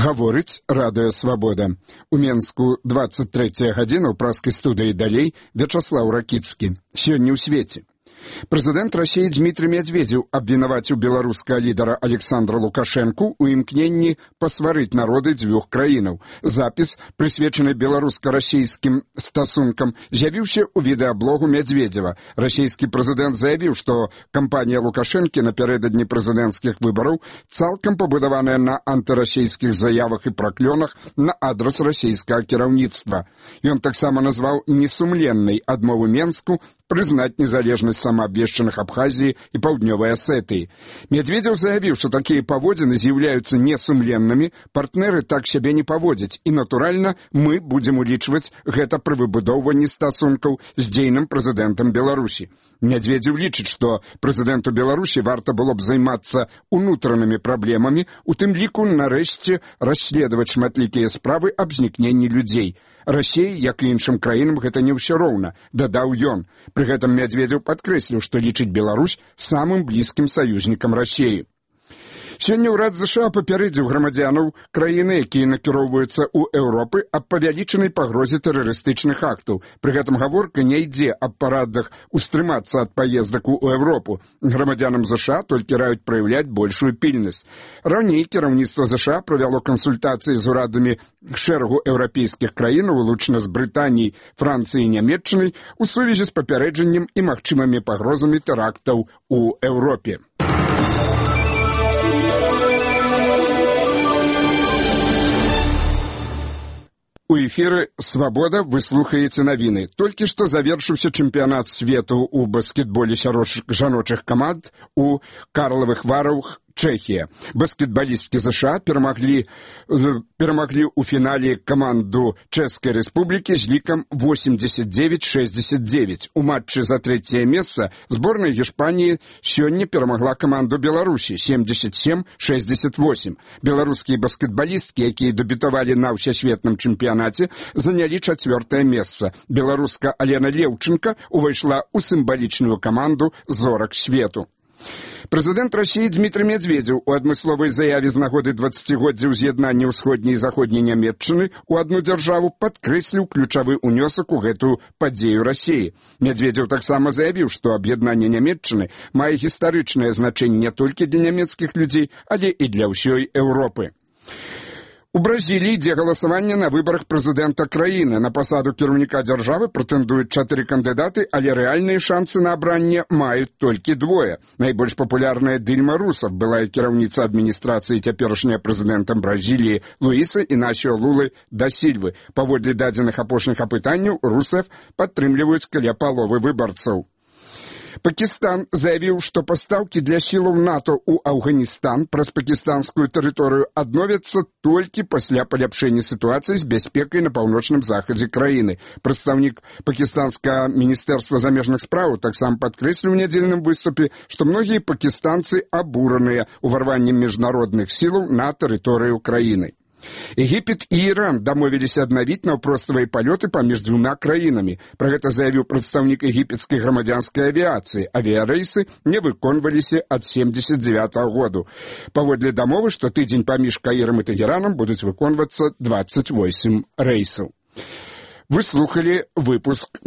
Гаворыць Радыё Свабода. У Менску 23 гадзіна ў праскай студыі далей Вячаслаў Ракіцкі. Сёння ў свеце. Прэзідэнт Расіі Дмітрый Медведзеў абвінаваціў беларускага лідара Александра Лукашэнку ў імкненні пасварыць народы дзвюх краінаў. Запіс, прысвечаны беларуска-расійскім стасункам, з'явіўся ў відэаблогу Медведзева. Расійскі прэзідэнт заявіў, што кампанія Лукашэнкі напярэдадні прэзідэнцкіх выбараў цалкам пабудаваная на антырасійскіх заявах і праклёнах на адрас расійскага кіраўніцтва. Ён таксама назваў несумленнай адмову Менску прызнаць незалежнасць самаабвешчаных Абхазіі і Паўднёвай Асетыі. Медведзеў заявіў, што такія паводзіны з'яўляюцца несумленнымі, партнеры так сябе не паводзяць, і, натуральна, мы будзем улічваць гэта пры выбудоўванні стасункаў з дзейным прэзідэнтам Беларусі. Медведзеў лічыць, што прэзідэнту Беларусі варта было б займацца унутранымі праблемамі, у тым ліку, нарэшце, расследаваць шматлікія справы аб знікненні людзей. Расіі, як і іншым краінам, гэта не ўсё роўна, дадаў ён. Пры гэтым Медведзеў падкрэсліў, што лічыць Беларусь самым блізкім саюзнікам Расіі. Сёння ўрад ЗША папярэдзіў грамадзянаў краіны, якія накіроўваюцца ў Еўропы, аб павялічанай пагрозе тэрарыстычных актаў. Пры гэтым гаворка не ідзе аб парадах устрымацца ад паездак у Еўропу. Грамадзянам ЗША толькі раюць праяўляць большую пільнасць. Раней кіраўніцтва ЗША правяло кансультацыі з урадамі шэрагу еўрапейскіх краін, вылучна з Брытаніяй, Францыяй і Нямецчынай, у сувязі з папярэджаннем і магчымымі пагрозамі тэрактаў у Еўропе. У эфіры «Свабода» вы слухаеце навіны. Толькі што завершыўся чэмпіянат свету ў баскетболе сярод жаночых каманд у Карлавых Варах, Чэхія. Баскетбалісткі ЗША перамаглі ў фінале каманду Чэшскай Рэспублікі з лікам 89-69. У матчы за трэцяе месца зборная Гішпаніі сёння перамагла каманду Беларусі 77-68. Беларускія баскетбалісткі, якія дэбютавалі на ўсесветным чэмпіянаце, занялі 4-е месца. Беларуска Алена Леўчынка увайшла ў сімвалічную каманду зорак свету. Прэзідэнт Расіі Дмітрый Медведзеў у адмысловай заяве з нагоды 20годдзя ўз'яднання ўсходняй і заходняй Нямецчыны ў адну дзяржаву падкрэсліў ключавы ўнёсак у гэтую падзею Расіі. Медведзеў таксама заявіў, што аб'яднанне Нямецчыны мае гістарычнае значэнне не толькі для нямецкіх людзей, але і для ўсёй Еўропы. У Бразіліі ідзе галасаванне на выбарах прэзідэнта краіны. На пасаду кіраўніка дзяржавы прэтэндуюць 4 кандыдаты, але рэальныя шансы на абранне маюць толькі 2. Найбольш папулярная Дильма Русеф, былая кіраўніца адміністрацыі цяперашняя прэзідэнтам Бразіліі Луіса Інасіо Лулы да Сільвы. Паводле дадзеных апошніх апытанняў, Русеф падтрымліваюць каля паловы выбарцаў. Пакістан заявіў, што пастаўкі для сілаў НАТО ў Афганістан праз пакістанскую тэрыторыю адновяцца толькі пасля паляпшэння сітуацыі з бяспекай на паўночным захадзе краіны. Прадстаўнік пакістанскага міністэрства замежных спраў таксама падкрэсліў у нядзельным выступе, што многія пакістанцы абураныя ўварваннем міжнародных сілаў на тэрыторыю краіны. Егіпет і Іран дамовіліся аднавіць наўпроставыя палёты паміж дзвюма краінамі. Пра гэта заявіў прадстаўнік егіпецкай грамадзянскай авіяцыі. Авіярэйсы не выконваліся ад 79-го году. Паводле дамовы, што тыдзень паміж Каірам і Тэгеранам будуць выконвацца 28 рэйсаў. Вы слухалі выпуск